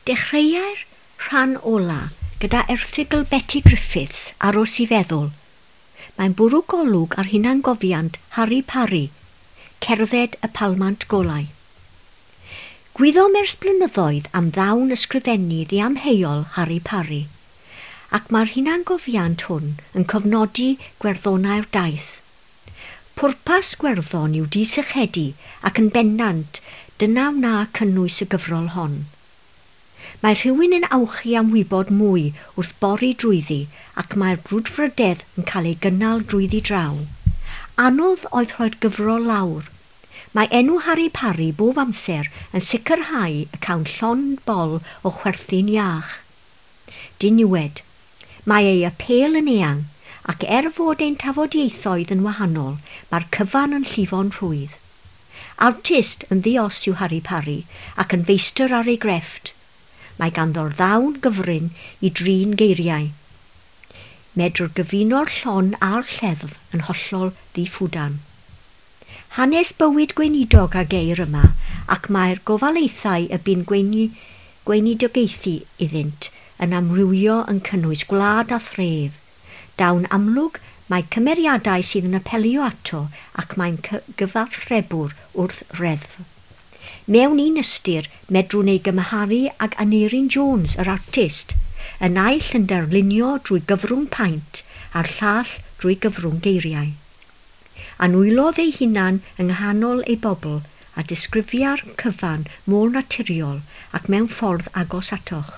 Dechreuai'r rhan ola gyda erthygl Betty Griffiths, Aros i Feddwl. Mae'n bwrw golwg ar hunangofiant Harry Parry, Cerdded y Palmant Golau. Gwyddom ers blynyddoedd am ddawn ysgrifennu ddiamheuol Harry Parry, ac mae'r hunangofiant hwn yn cofnodi gwerddonau'r daith. Pwrpas gwerddon yw disychedu ac yn bendant dyna wna cynnwys y gyfrol hon. Mae rhywun yn awchu am wybod mwy wrth bori drwyddi ac mae'r brwdfrydedd yn cael ei gynnal drwyddi draw. Anodd oedd rhoi'r gyfrol lawr. Mae enw Harry Parry bob amser yn sicrhau y cawn llond bol o chwerthin iach. Diniwed. Mae ei apêl yn eang, ac er fod ein tafodieithoedd yn wahanol, mae'r cyfan yn llifo'n rhwydd. Artist yn ddi-os yw Harry Parry ac yn feistr ar ei grefft. Mae ganddo'r ddawn gyfrin i drin geiriau. Medr gyfuno'r llon a'r lleddf yn hollol ddiffwdan. Hanes bywyd gweinidog a geir yma, ac mae'r gofalaethau y bu'n gweini, gweinidogaethu iddynt yn amrywio yn cynnwys gwlad a thref. Dawn amlwg mae cymeriadau sydd yn apelio ato ac mae'n gyfathrebwr wrth reddf. Mewn un ystyr, medrwn ei gymharu ag Aneurin Jones, yr artist, y naill yn darlunio drwy gyfrwng paent a'r llall drwy gyfrwng geiriau. Anwylodd ei hunan yng nghanol ei bobl a disgrifia'r cyfan mor naturiol ac mewn ffordd agos atoch.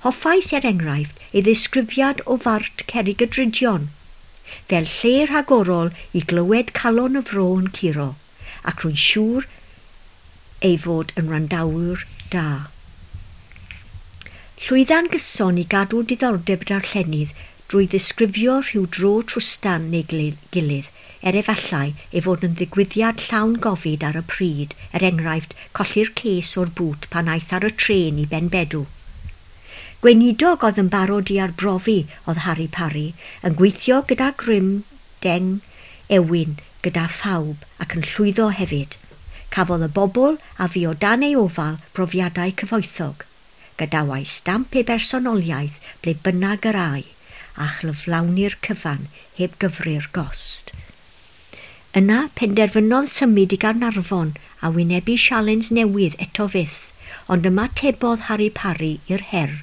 Hoffais er enghraifft ei ddisgrifiad o fart Cerrig y Drudion, fel lle rhagorol i glywed calon y fro yn curo, ac rwy'n siŵr ei fod yn wrandawyr da. Llwydda'n gyson i gadw diddordeb darllenydd drwy ddisgrifio rhyw dro trwstan neu gilydd, er efallai ei fod yn ddigwyddiad llawn gofid ar y pryd, er enghraifft colli'r ces o'r bŵt pan aeth ar y trên i Benbedw. Gweinidog oedd yn barod i arbrofi oedd Harry Parry, yn gweithio gyda grym deng ewin gyda phawb ac yn llwyddo hefyd. Cafodd y bobl a fu o dan ei ofal brofiadau cyfoethog. Gadawai stamp ei bersonoliaeth ble bynnag yr âi, a chyflawni'r cyfan heb gyfri'r gost. Yna penderfynodd symud i Gaernarfon a wynebu sialens newydd eto fyth, ond ymatebodd Harry Parry i'r her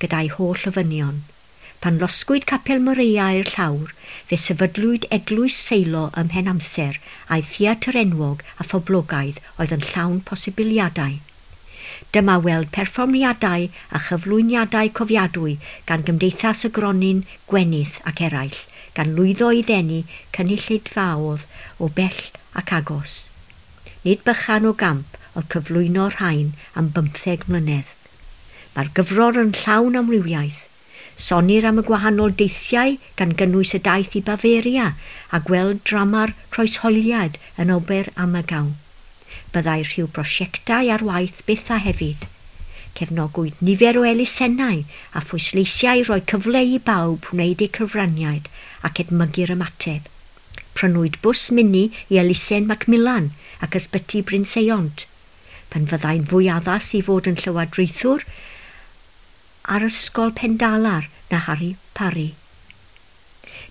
gyda'i holl ofynion. Pan losgwyd Capel Moreia i'r llawr, fe sefydlwyd eglwys Seilo ym mhen amser a'i theatr enwog a phoblogaidd oedd yn llawn posibiliadau. Dyma weld perfformiadau a chyflwyniadau cofiadwy gan Gymdeithas y Gronyn, Gwenith ac eraill, gan lwyddo i ddenu cynulleidfaoedd o bell ac agos. Nid bychan o gamp oedd cyflwyno'r rhain am 15 mlynedd. Mae'r gyfrol yn llawn amrywiaeth. Sonir am y gwahanol deithiau gan gynnwys y daith i Bavaria a gweld drama'r croeshoeliad yn Ober Ammergau. Byddai rhyw brosiectau ar waith byth a hefyd. Cefnogwyd nifer o elusennau a phwysleisiau roi cyfle i bawb wneud eu cyfraniad ac edmygu'r ymateb. Prynwyd bws mini i elusen Macmillan ac ysbyty Bryn Seiont. Pan fyddai'n fwy addas i fod yn llywodraethwr ar ysgol Pendalar na Harry Parry.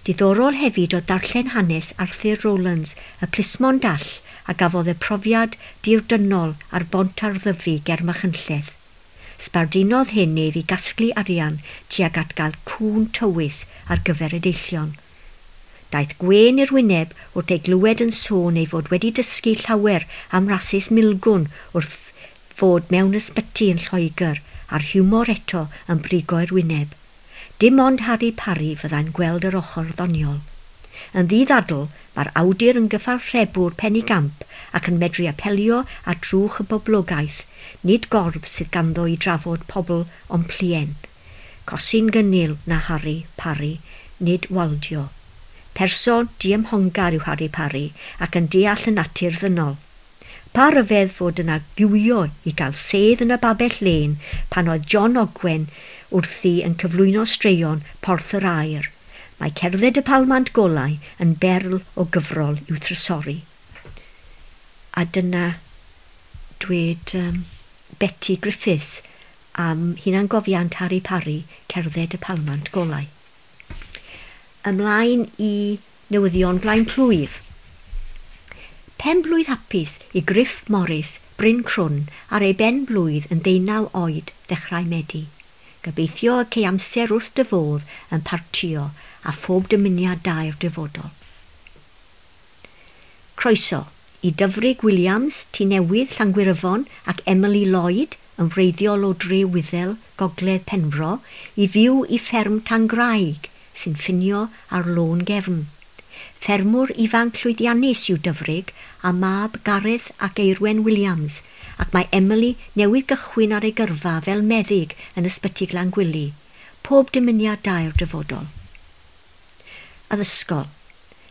Diddorol hefyd oedd darllen hanes Arthur Rowlands, y plismon dall a gafodd y profiad dirdynnol ar bont ar Ddyfi ger Machynlleth. Sbardunodd hyn ef i gasglu arian tuag at gael cŵn tywys ar gyfer y deillion. Daeth gwên i'r wyneb wrth ei glywed yn sôn ei fod wedi dysgu llawer am rasys milgwn wrth fod mewn ysbyty yn Lloegr a'r hiwmor eto yn brigo i'r wyneb. Dim ond Harry Parry fyddai'n gweld yr ochr ddoniol. Yn ddiddadl, mae'r awdur yn gyfathrebwr penigamp ac yn medru apelio at drwch y boblogaeth, nid gordd sydd ganddo i drafod pobl ond plien. Cosi'n gynnil na Harry Parry, nid waldio. Person diymhongar yw Harry Parry ac yn deall y natur ddynol. Pa ryfedd fod yna giwio i gael sedd yn y babell lên pan oedd John Ogwen wrthi yn cyflwyno straeon Porth yr Aur. Mae cerdded y palmant golau yn berl o gyfrol i'w thrysori. A dyna dweud Betty Griffiths am hunangofiant Harry Parry, Cerdded y Palmant Golau. Ymlaen i newyddion blaen plwyf. Pen blwydd hapus i Griff Morris, Bryn Crwn, ar ei ben blwydd yn 19 oed ddechrau Medi. Gobeithio y cei amser wrth dy fodd yn partio a phob dymuniad da i'r dyfodol. Croeso i Dyfrig Williams, Tŷ Newydd, Llangwyryfon ac Emily Lloyd yn wreiddiol o Dre Wyddel, Gogledd Penfro, i fyw i fferm Tangraig sy'n ffinio ar Lôn Gefn. Ffermwr ifanc llwyddiannus yw Dyfrig a mab Gareth ac Eirwen Williams, ac mae Emily newydd gychwyn ar ei gyrfa fel meddyg yn ysbyty Glangwili. Pob dymuniad da i'r dyfodol. Addysgol.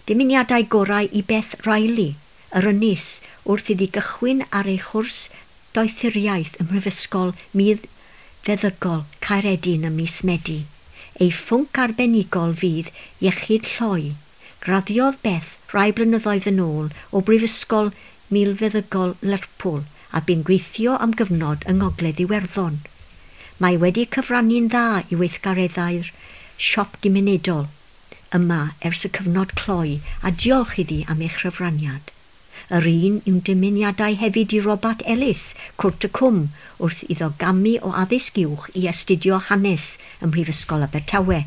Dymuniadau gorau i Beth Riley, yr Ynys, wrth iddi gychwyn ar ei chwrs doethuriaeth ym Mhrifysgol Milfeddygol Caeredin ym mis Medi. Ei phwnc arbenigol fydd iechyd lloi. Graddiodd Beth rai blynyddoedd yn ôl o Brifysgol Milfeddygol Lerpwl a bu'n gweithio am gyfnod yng Ngogledd Iwerddon. Mae wedi cyfrannu'n dda i weithgareddau'r siop gymunedol yma ers y cyfnod cloi a diolch iddi am ei chyfraniad. Yr un yw'n dymuniadau hefyd i Robert Ellis, Cwrt y Cwm, wrth iddo gamu o addysg uwch i astudio hanes ym Mhrifysgol Abertawe.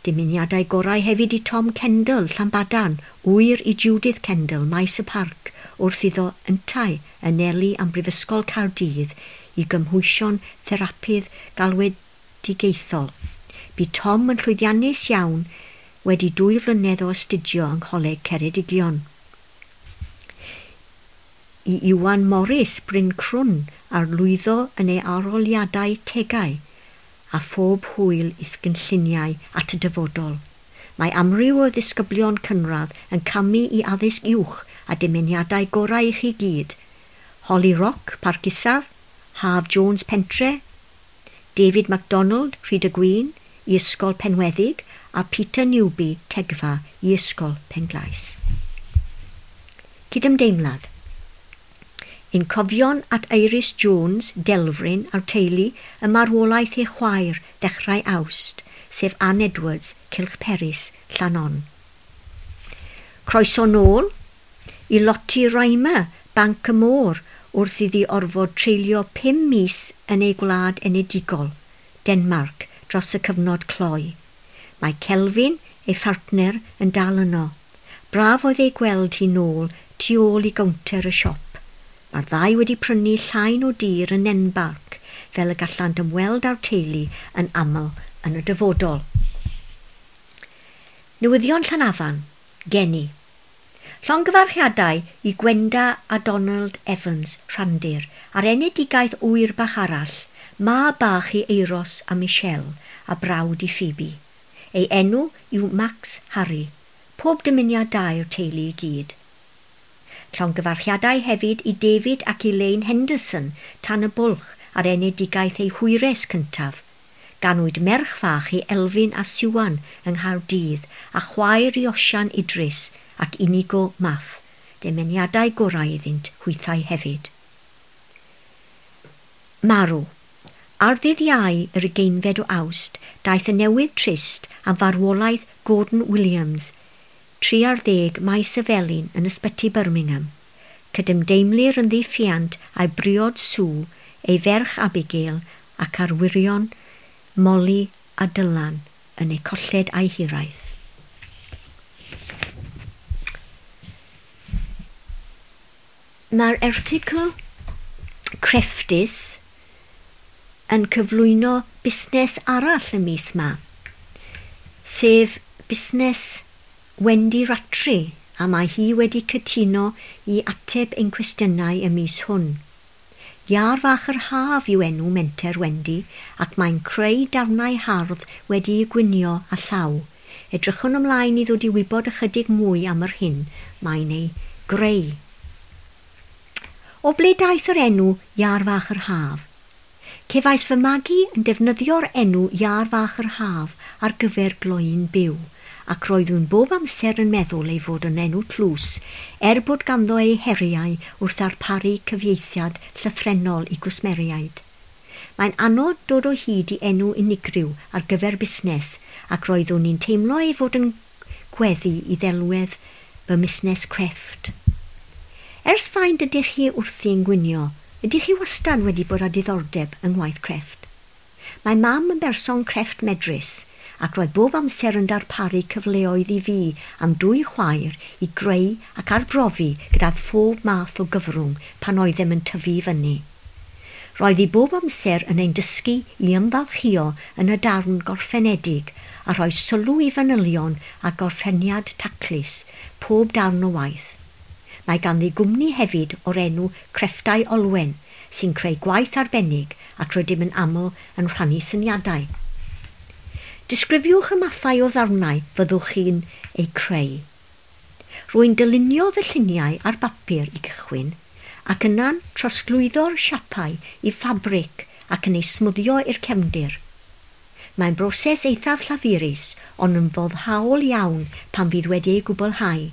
Dymuniadau gorau hefyd i Tom Kendall, Llanbadarn, ŵyr i Judith Kendall, Maes y Parc, wrth iddo yntau anelu am Brifysgol Caerdydd i gymhwysio'n therapydd galwedigaethol. Bu Tom yn llwyddiannus iawn wedi 2 flynedd o astudio yng Ngholeg Ceredigion. I Iwan Morris, Bryn Crwn, ar lwyddo yn ei arholiadau tegau a phob hwyl i'th gynlluniau at y dyfodol. Mae amryw o ddisgyblion cynradd yn camu i addysg uwch a dymuniadau gorau i chi gyd. Holly Rock, Parc Isaf, Haf Jones Pentre, David MacDonald, Rhyd y Gwyn, i Ysgol Penweddig, a Peter Newby, Tegfa, i Ysgol Penglais. Cydymdeimlad. Ein cofion at Iris Jones, Delfryn a'r teulu y marwolaeth ei chwaer ddechrau Awst, sef Anne Edwards, Cylch Peris, Llanon. Croeso nôl i Lottie Rymer, Banc y Môr, wrth iddi orfod treulio 5 mis yn ei gwlad enedigol, Denmark, dros y cyfnod cloi. Mae Kelvin, ei phartner, yn dal yno. Braf oedd ei gweld hi nôl tu ôl i gownter y siop. Mae'r ddau wedi prynu llain o dir yn Nenbarc, fel y gallant ymweld â'r teulu yn aml yn y dyfodol. Newyddion Llanafan, Geni. Llongyfarchiadau i Gwenda a Donald Evans, Rhandir, ar enedigaeth ŵyr bach arall, ma bach i Eiros a Michelle, a brawd i Phoebe. Ei enw yw Max Harry. Pob dymuniad da i'r teulu i gyd. Llongyfarchiadau hefyd i David ac Elaine Henderson, tan y bwlch ar enedigaeth ei hwyres cyntaf. Ganwyd merch fach i Elfyn a Siwan yng Nghaerdydd a chwaer i Osian Idris ac Inigo Math. Dymuniadau gorau iddynt hwythau hefyd. Marw. Ar ddydd Iau yr 20fed o Awst, daeth y newydd trist am farwolaeth Gordon Williams, 30 Maes y Felin yn ysbyty Birmingham. Cydymdeimlir yn ddiffiant a'i briod Sue, ei ferch Abigail ac arwyrion Molly a Dylan yn eu colled a'i hiraeth. Mae'r erthygl crefftus yn cyflwyno busnes arall y mis ma, sef busnes Wendy Rattray, a mae hi wedi cytuno i ateb ein cwestiynau y mis hwn. Iâr fach yr haf yw enw menter Wendy, ac mae'n creu darnau hardd wedi'u gwynio â llaw. Edrychwn ymlaen i ddod i wybod ychydig mwy am yr hyn mae'n ei greu. O ble daeth yr enw Iâr fach yr haf? Cefais fy magu yn defnyddio'r enw Iâr fach yr haf ar gyfer gloyn byw, ac roeddwn bob amser yn meddwl ei fod yn enw tlws, er bod ganddo ei heriau wrth ddarparu cyfieithiad llythrennol i gwsmeriaid. Mae'n anodd dod o hyd i enw unigryw ar gyfer busnes ac roeddwn i'n teimlo ei fod yn gweddu i ddelwedd fy musnes crefft. Ers faint ydych chi wrthi'n gwynio, ydych chi wastad wedi bod â diddordeb yng ngwaith crefft? Mae mam yn berson crefft medrus ac roedd bob amser yn darparu cyfleoedd i fi am dwy chwaer i greu ac arbrofi gyda phob math o gyfrwng pan oeddem yn tyfu i fyny. Roedd hi bob amser yn ein dysgu i ymfalchïo yn y darn gorffenedig a rhoi sylw i fanylion a gorffeniad taclus pob darn o waith. Mae ganddi gwmni hefyd o'r enw Crefftau Olwen sy'n creu gwaith arbennig ac rydym yn aml yn rhannu syniadau. Disgrifiwch y mathau o ddarnau fyddwch chi'n eu creu. Rwy'n dylunio fy lluniau ar bapur i gychwyn ac yna'n trosglwyddo'r siapau i ffabrig ac yn ei smwddio i'r cefndir. Mae'n broses eithaf llafurus ond yn foddhaol iawn pan fydd wedi ei gwblhau.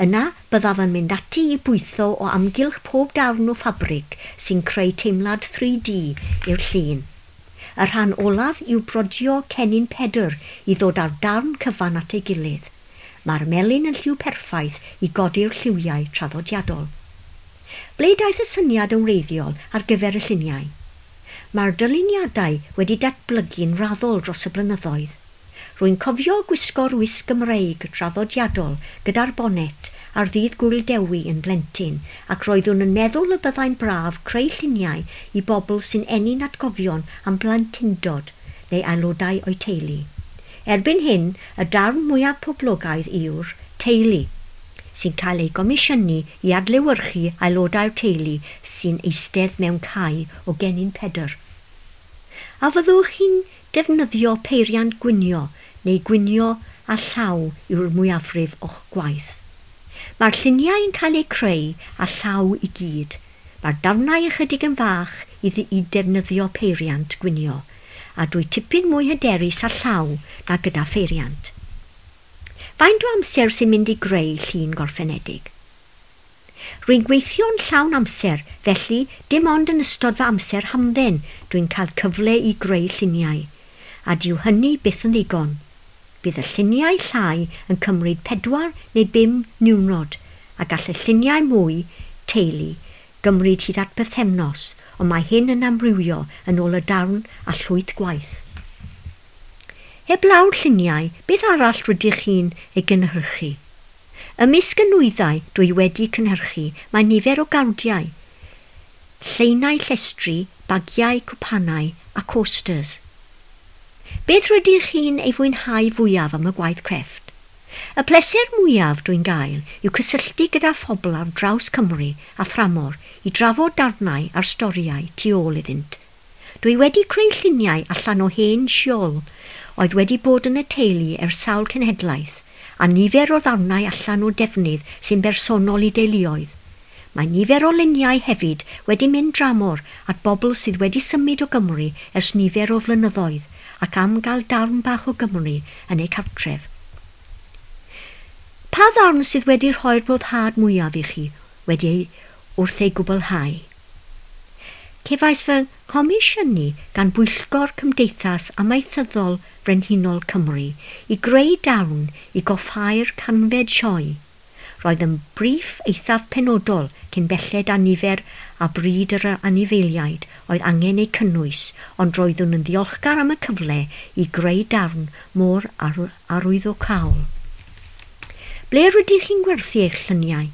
Yna byddaf yn mynd ati i bwytho o amgylch pob darn o ffabrig sy'n creu teimlad 3D i'r llun. Y rhan olaf yw brodio cennin Pedr i ddod â'r darn cyfan at ei gilydd. Mae'r melyn yn lliw perffaith i godi'r lliwiau traddodiadol. Ble daeth y syniad yn wreiddiol ar gyfer y lluniau? Mae'r dyluniadau wedi datblygu'n raddol dros y blynyddoedd. Rwy'n cofio gwisgo'r wisg Gymreig traddodiadol gyda'r bonet ar ddydd Gŵyl Dewi yn blentyn ac roeddwn yn meddwl y byddai'n braf creu lluniau i bobl sy'n ennyn atgofion am blentyndod neu aelodau o'u teulu. Erbyn hyn, y darn mwyaf poblogaidd yw'r teulu, sy'n cael ei gomisiynu i adlewyrchu aelodau'r teulu sy'n eistedd mewn cae o gennin Pedr. A fyddwch chi'n defnyddio peiriant gwynio neu gwynio â llaw yw'r mwyafrif o'ch gwaith? Mae'r lluniau yn cael eu creu â llaw i gyd. Mae'r darnau ychydig yn fach i, i defnyddio peiriant gwynio, a dwi tipyn mwy hyderus â llaw na gyda pheiriant. Faint o amser sy'n mynd i greu llun gorffenedig? Rwy'n gweithio'n llawn amser, felly dim ond yn ystod fy amser hamdden dwi'n cael cyfle i greu lluniau, a dyw hynny byth yn ddigon. Bydd y lluniau llai yn cymryd 4 neu 5 niwrnod, a gall y lluniau mwy, teulu, gymryd hyd at bythefnos, ond mae hyn yn amrywio yn ôl y darn a llwyth gwaith. Heblaw'r lluniau, beth arall rydych chi'n ei gynhyrchu? Ymysg y nwyddau dwi wedi cynhyrchu mae nifer o gardiau, lleinau llestri, bagiau, cwpanau a coasters. Beth rydych chi'n ei fwynhau fwyaf am y gwaith crefft? Y pleser mwyaf dwi'n gael yw cysylltu gyda phobl ar draws Cymru a thramor i drafod darnau a'r storïau tu ôl iddynt. Dwi wedi creu lluniau allan o hen siôl oedd wedi bod yn y teulu ers sawl cenhedlaeth a nifer o ddarnau allan o defnydd sy'n bersonol i deuluoedd. Mae nifer o luniau hefyd wedi mynd dramor at bobl sydd wedi symud o Gymru ers nifer o flynyddoedd ac am gael darn bach o Gymru yn eu cartref. Pa ddarn sydd wedi rhoi'r boddhad mwyaf i chi wedi ei wrth ei gwblhau? Cefais fy nghomisiynu gan Bwyllgor Cymdeithas Amaethyddol Frenhinol Cymru i greu darn i goffhau'r canfed sioe. Roedd yn briff eithaf penodol cyn belled â nifer a bryd yr anifeiliaid oedd angen eu cynnwys, ond roeddwn yn ddiolchgar am y cyfle i greu darn mor arwyddocaol. Ble rydych chi'n gwerthu eich lluniau?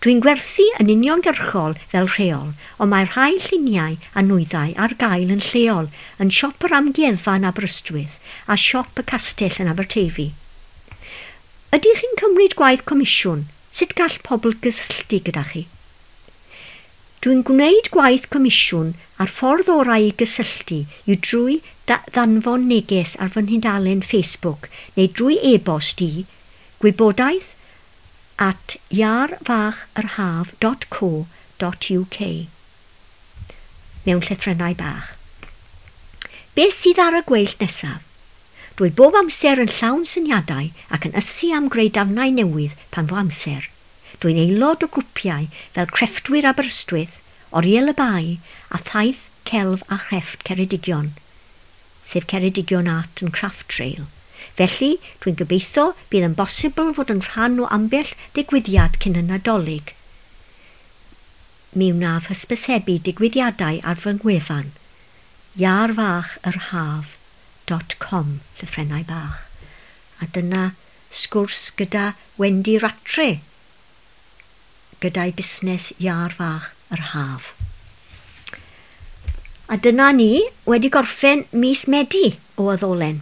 Dwi'n gwerthu yn uniongyrchol fel rheol, ond mae rhai lluniau a nwyddau ar gael yn lleol yn siop yr amgueddfa yn Aberystwyth a siop y castell yn Aberteifi. Ydych chi'n cymryd gwaith comisiwn? Sut gall pobl gysylltu gyda chi? Dwi'n gwneud gwaith comisiwn a'r ffordd orau i gysylltu yw drwy ddanfon neges ar fy nhudalen Facebook neu drwy e-bost i gwybodaeth@iarfachyrhaf.co.uk mewn llythrennau bach. Beth sydd ar y gweill nesaf? Dwi bob amser yn llawn syniadau ac yn ysu am greu darnau newydd pan fo amser. Dwi'n aelod o grwpiau fel Crefftwyr Aberystwyth, Oriel y Bae a Thaith Celf a Chrefft Ceredigion, sef Ceredigion Art and Craft Trail. Felly, dwi'n gobeithio bydd yn bosibl fod yn rhan o ambell ddigwyddiad cyn y Nadolig. Mi wnaf hysbysebu digwyddiadau ar fy ngwefan iarfachyrhaf.com, llythrennau bach. A dyna sgwrs gyda Wendy Rattray gyda'i busnes Iâr Fach yr Haf. A dyna ni wedi gorffen mis Medi o Y Ddolen.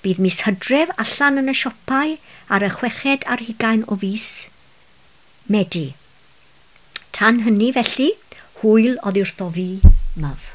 Bydd mis Hydref allan yn y siopau ar y 26 o fis Medi. Tan hynny felly, hwyl oddi wrtho fi, Myf.